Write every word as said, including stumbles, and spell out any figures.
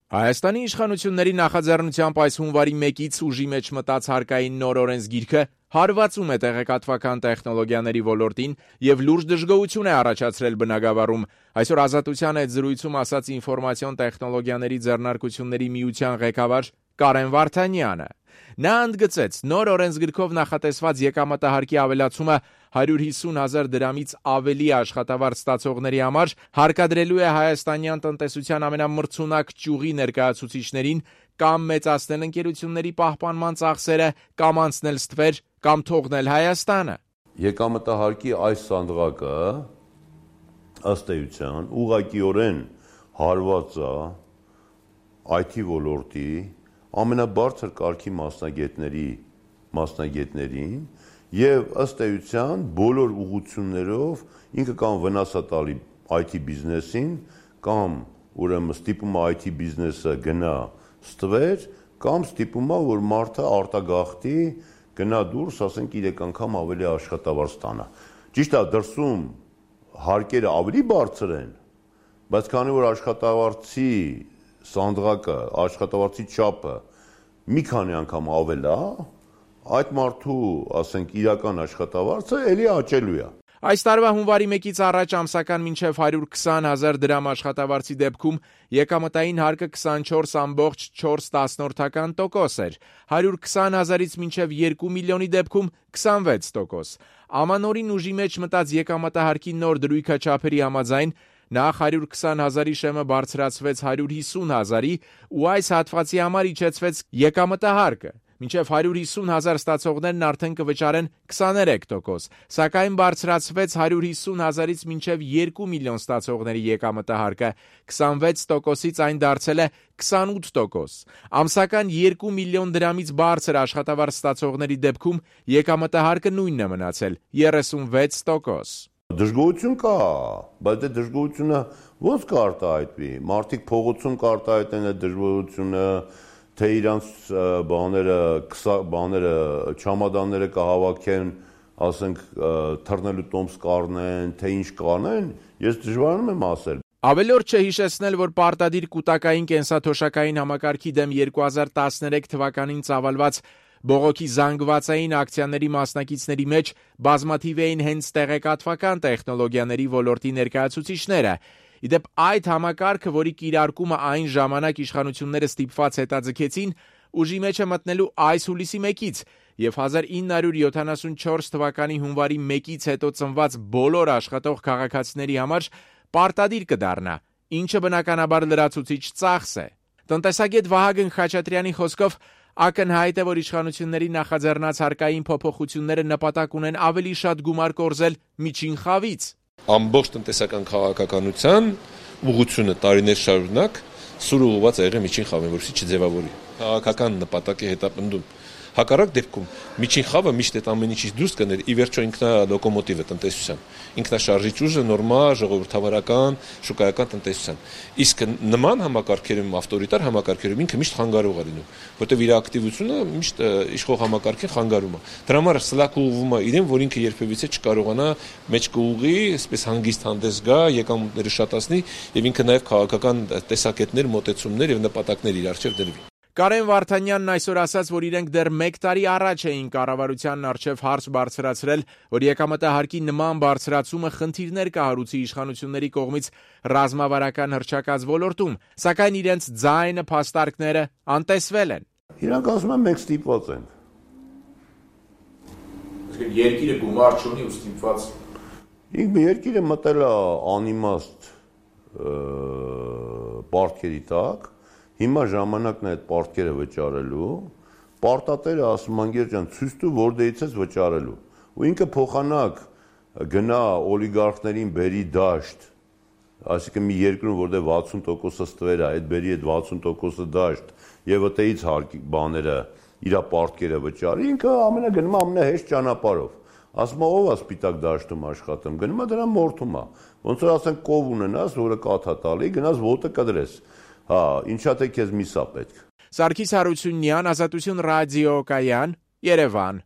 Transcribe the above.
Հայաստանի իշխանությունների նախաձեռնությամբ այս հունվարի մեկից ուժի մեջ մտած հարկային նոր օրենսգիրքը հարվածում է տեղեկատվական տեխնոլոգիաների ոլորտին եւ լուրջ դժգոհություն է առաջացրել բնագավառում։ Այսօր Ազատության հետ զրույցում ասաց ինֆորմացիոն տեխնոլոգիաների ձեռնարկությունների միության ղեկավար Կարեն Վարդանյանը։ Նա ընդգծեց, նոր օրենսգրքով նախատեսված եկամտահարկի ավելացումը հարյուր հիսուն հազար դրամից ավելի աշխատավարձ ստացողների համար հարկադրելու է հայաստանյան տնտեսության ամենամրցունակ ճյուղի ներկայացուցիչներին կամ մեծացնել ընկերությունների պահպանման ծախսերը, կամ անցնել ստվեր, կամ թողնել Հայաստանը։ Եկամտահարկի այս սանդղակը ըստ էության ուղղակիորեն հարված է այ թի ոլորտի ամենաբարձր կարգի մասնագետների մասնագետներին եւ ըստ էության բոլոր ուղղություններով ինքը կամ վնաս է տալի այ թի բիզնեսին, կամ ուրեմն ստիպում է այ թի բիզնեսը գնա ստվեր, կամ ստիպում է որ մարդը արտագաղթի գնա դուրս, ասենք երեք անգամ ավելի աշխատավարձ ստանա։ Ճիշտ է, դրսում հարկերը ավելի բարձր են, բայց քանի որ աշխատավարձի սանդղակը, աշխատավարձի չափը մի քանի անգամ ավել է, այդ մարդու, ասենք, իրական աշխատավարձը էլի աճելու է։ Այս տարվա հունվարի մեկից առաջ ամսական մինչև հարյուր քսան հազար դրամ աշխատավարձի դեպքում եկամտային հարկը քսանչորս կόμma չորս տոկոս էր, հարյուր քսան հազարից մինչև երկու միլիոնի դեպքում քսանվեց տոկոս։ Ամանորին ուժի մեջ մտած եկամտահարկի նոր դրույքա չափերի համաձայն նախ հարյուր քսան հազարի շեմը բարձրացվեց հարյուր հիսուն հազարի ու այս հատվածի համար իջեցվեց եկամտահարկը։ Մինչև հարյուր հիսուն հազար ստացողներն արդեն կվճարեն քսաներեք տոկոս, սակայն բարձրացվեց հարյուր հիսուն հազարից մինչև երկու միլիոն ստացողների եկամտահարկը, քսանվեց տոկոսից այն դարձել է քսանութ տոկոս։ Ամսական երկու միլիոն դրամից բարձր աշխատավարձ ստացողների դեպքում եկամտահարկը նույնն է մնացել՝ երեսունվեց տոկոս։ Դժգոհություն կա, բայց դե դժգոհությունը ո՞նց կարտահայտվի։ Մարդիկ փողոցում կարտահայտեն այդ դժգոհությունը, թե իրանց բաները, բաները, չամադանները կհավաքեն, ասենք, թռնելու տոմս կառնեն, թե ինչ կանեն, ես դժվարանում եմ ասել։ Ավելորդ չէ հիշեցնել, որ պարտադիր կուտակային կենսաթոշակային համակարգի դեմ երկու հազար տասներեք թվականին ծավալված բողոքի զանգվածային ակցիաների մասնակիցների մեջ բազմաթիվ էին հենց տեղեկատվական տեխնոլոգիաների ոլորտի ներկայացուցիչները։ Իդեպ այդ համակարգը, որի կիրարկումը այն ժամանակ իշխանությունները ստիպված հետաձգեցին, ուժի մեջ է մտնելու այս հուլիսի մեկից եւ հազար ինը հարյուր յոթանասունչորս թվականի հունվարի մեկից հետո ծնված բոլոր աշխատող քաղաքացիների համար պարտադիր կդառնա, ինչը բնականաբար լրացուցիչ ծախս է։ Տնտեսագետ Վահագն Խաչատրյանի խոսքով ակնհայտ է, որ իշխանությունների նախաձեռնած հարկային փոփոխությունները նպատակ ունեն ավելի շատ գումար կորզել միջին խավից։ Ամբողջ տնտեսական քաղաքականության ուղղությունը տարիներ շարունակ սուր ուղղված է եղել միջին խավին, որպեսզի չձևավորի։ Քաղաքական նպատակի հետապնդում։ Հակառակ դեպքում միջին խավը միշտ այդ ամեն ինչից դուրս կներ, ի վերջո ինքնա լոկոմոտիվը տնտեսության, ինքնաշարժիչ ուժը նորմալ ժողովրդավարական շուկայական տնտեսության։ Իսկ նման համակարգերում, ավտորիտար համակարգերում ինքը միշտ խանգարող է լինում, որտեղ իր ակտիվությունը միշտ իշխող համակարգին խանգարում է։ Դրա համար սլաք ուղղվում է իրեն, որ ինքը երբևիցե չկարողանա մեջ կուղղի, այսպես հանգիստ հանդես գա, եկամուտները շատացնի եւ ինքը նաեւ քաղաքական տեսակետներ, մոտեցումներ եւ նպատակներ իր առջեւ դրվի։ Կարեն Վարդանյանն այսօր ասաց, որ իրենք դեռ մեկ տարի առաջ էին կառավարությանն առջև հարց բարձրացրել, որ եկամտահարկի նման բարձրացումը խնդիրներ կհարուցի իշխանությունների կողմից ռազմավարական հռչակած ոլորտում, սակայն իրենց ձայնը, փաստարկները անտեսվել են։ Իրանք ասում են մենք ստիպված ենք։ Իսկ երկիրը գումար չունի ու ստիպված։ Ինքը երկիրը մտել է անիմաստ պարտքերի տակ։ Հիմա ժամանակն է այդ պարտքերը վճարելու, պարտատերը ասում անգեր ջան ցույց տու որտեղից ես վճարելու։ Ու ինքը փոխանակ գնա օլիգարխներին բերի դաշտ, այսինքն մի երկրում որտեղ վաթսուն տոկոսը ստվեր է, այդ բերի այդ վաթսուն տոկոսը դաշտ եւ այդտեղից հարկի բաները իր պարտքերը վճարի, ինքը ամենագնում ամենահեշտ ճանապարհով։ Ասում է ով է սպիտակ դաշտում աշխատում, գնում է դրա մորթում է։ Ոնց որ ասենք կով ունենաս, որը կաթա տալի, գնաս ոտը կդրես։ Հա, ինչա թե քեզ միսա պետք։ Սարգիս Հարությունյան, Ազատություն ռադիո կայան, Երևան։